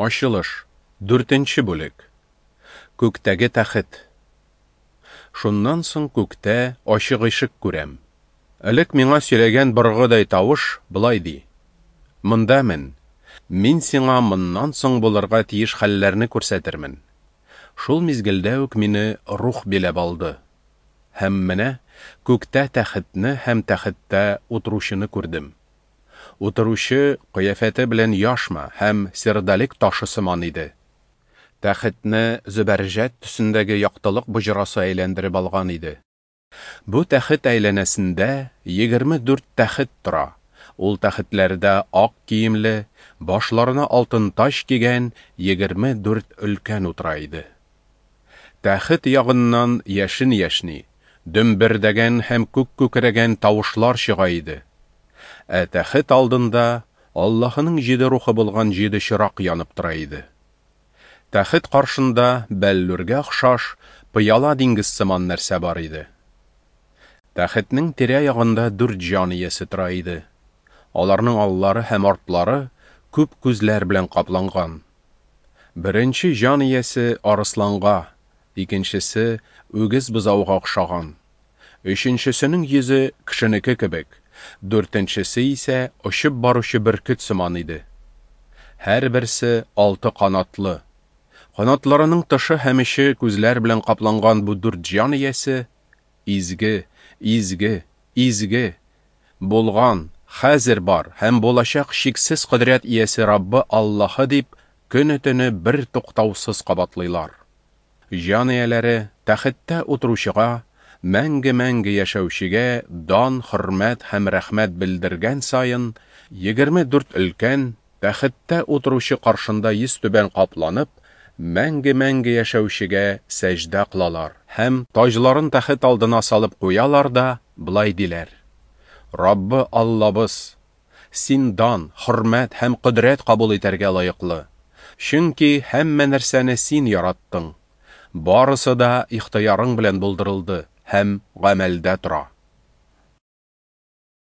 Ачылыш, дүртенче бүлек. Күктәге тәхет. Шуннан соң күктә ачык ишек күрәм. Элек миңа сөйләгән боргыдай тавыш болай ди: Монда мен, мин сиңа моннан соң булырга тиеш хәлләрне күрсәтермен. Шул мизгелдә үк мине Рух биләп алды. Һәм менә күктә тәхетне һәм тәхеттә утыручыны күрдем. Утыручы кыяфәте белән яшма һәм сердолик ташы сыман иде. Тәхетне зөбәрҗәт төсендәге яктылык боҗрасы әйләндереп алган иде. Бу тәхет әйләнәсендә 24 тәхет тора. Ул тәхетләрдә ак киемле, башларына алтын таҗ кигән 24 өлкән утыра иде. Тәхет ягыннан яшен яшьни, дөмбердәгән һәм күк күкрәгән тавышлар чыга иде. Ә тәхет алдында Аллаһының җиде рухы булган җиде чырак янып тора иде. Тәхет каршында бәллүргә охшаш пыяла диңгез сыман нәрсә бар иде. Тәхетнең тирә-ягында дүрт җан иясе тора иде. Аларның аллары һәм артлары күп күзләр белән капланган. Беренче җан иясе арысланга, икенчесе үгез бозауга охшаган. Өченчесенең йөзе кешенеке кебек, дүртенчесе исә очып баручы бөркет сыман иде. Һәрберсе алты канатлы. Канатларының тышы һәм эче күзләр белән капланган бу дүрт җан иясе изге, изге, изге, булган, хәзер бар һәм булачак чиксез кодрәт иясе Раббы Аллаһы дип көне-төне бер туктаусыз кабатлыйлар. Җан ияләре тәхеттә утыручыга, мәңге-мәңге яшәүчегә дан, хөрмәт һәм рәхмәт белдергән саен, 24 өлкән, тәхеттә утыручы каршында йөзтүбән капланып, мәңге-мәңге яшәүчегә сәҗдә кылалар һәм таҗларын тәхет алдына салып куялар да болай диләр: Раббы Аллабыз, Син дан, хөрмәт һәм кодрәт кабул итәргә лаеклы. Чөнки һәммә нәрсәне Син яраттың. Барысы да ихтыярың белән булдырылды һәм гамәлдә тора.